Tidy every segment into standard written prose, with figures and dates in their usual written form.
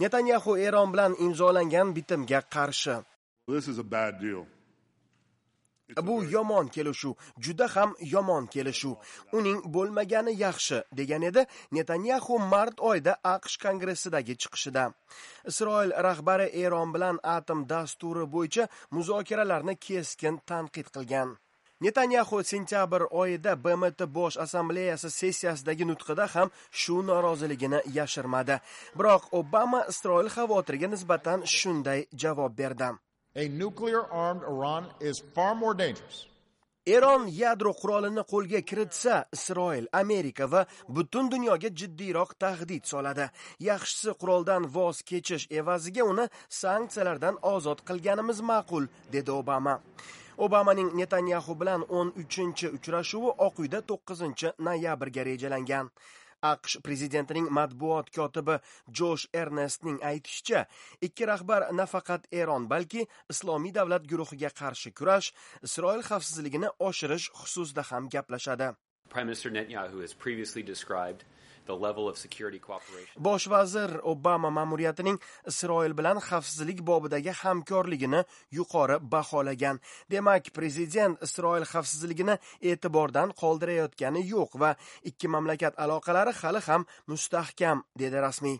Netanyaxu Eron bilan imzolangan bitimga qarshi. This is a bad deal. Bu yomon kelishuv, juda ham yomon kelishuv. Uning bo'lmagani yaxshi, degan edi Netanyaxu mart oyida AQSh Kongressidagi chiqishida. Isroil rahbari Eron bilan atom dasturi bo'yicha muzokaralarni keskin tanqid qilgan. Netanyaxu sentyabr oyida BMT Bosh Assambleyasi sessiyasidagi nutqida ham shu noroziligini yashirmadi. Biroq Obama Isroil xavotiriga nisbatan shunday javob berdi. A nuclear armed Iran is far more dangerous. Eron yadro qurolini qo'lga kiritsa, Isroil, Amerika va butun dunyoga jiddiyroq tahdid soladi. Yaxshisi quroldan voz kechish evaziga uni sanksiyalardan ozod qilganimiz ma'qul, dedi Obama. Obamaning Netanyaxu bilan 13-uchrashuvi Oq Uyda 9-noyabrga rejalangan. AQSh prezidentining matbuot kotibi Josh Ernestning aytishicha, ikki rahbar nafaqat Eron, balki Islomiy davlat guruhiga qarshi kurash, Isroil xavfsizligini oshirish xususida ham gaplashadi. Prime Minister Netanyahu has previously described the level of security cooperation. Bosh vazir Obama ma'muriyatining Isroil bilan xavfsizlik bobidagi hamkorligini yuqori baholagan. Demak, prezident Isroil xavfsizligini e'tibordan qoldirayotgani yo'q va ikki mamlakat aloqalari hali ham mustahkam, dedi rasmiy.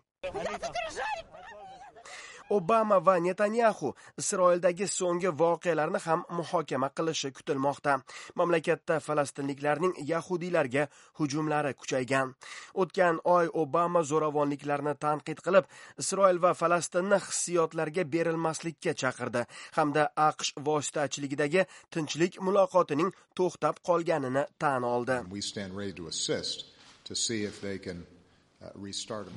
Obama va Netanyaxu Isroildagi so'nggi voqealarni ham muhokama qilishi kutilmoqda. Mamlakatda falastinliklarning yahudiylarga hujumlari kuchaygan. O'tgan oy Obama zo'ravonliklarni tanqid qilib, Isroil va Falastinni hissiyotlarga berilmaslikka chaqirdi hamda AQSh vositachiligidagi tinchlik muloqotining to'xtab qolganini tan oldi. We stand ready to assist to see if they can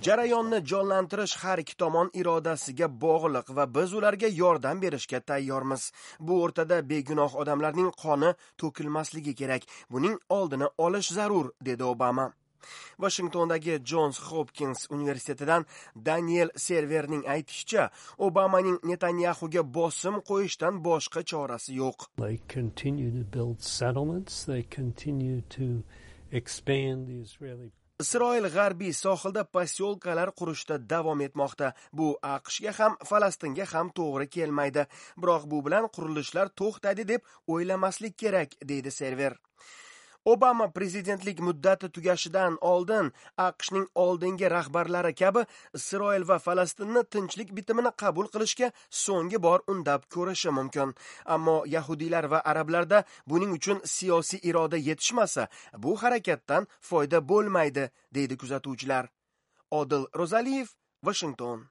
Jarayonni jonlantirish har ikki tomon irodasiga bog'liq va biz ularga yordam berishga tayyormiz. Bu o'rtada begunoh odamlarning qoni to'kilmasligi kerak. Buning oldini olish zarur, dedi Obama. Washingtondagi Johns Hopkins universitetidan Daniel Serverning aytishicha, Obamaning Netanyaxuga bosim qo'yishdan boshqa chorasi yo'q. They continue to build settlements, they continue to expand the Israeli Isroil g'arbiy sohilda posyolkalar qurishda davom etmoqda. Bu AQShga ham, Falastinga ham to'g'ri kelmaydi. Biroq bu bilan qurilishlar to'xtaydi deb o'ylamaslik kerak, deydi Server. Obama prezidentlik muddati tugashidan oldin AQShning oldingi rahbarlari kabi Isroil va Falastinni tinchlik bitimini qabul qilishga so'nggi bor undab ko'rishi mumkin. Ammo yahudiylar va arablarda buning uchun siyosiy iroda yetishmasa, bu harakatdan foyda bo'lmaydi, deydi kuzatuvchilar. Odil Ro'zaliyev, Washington.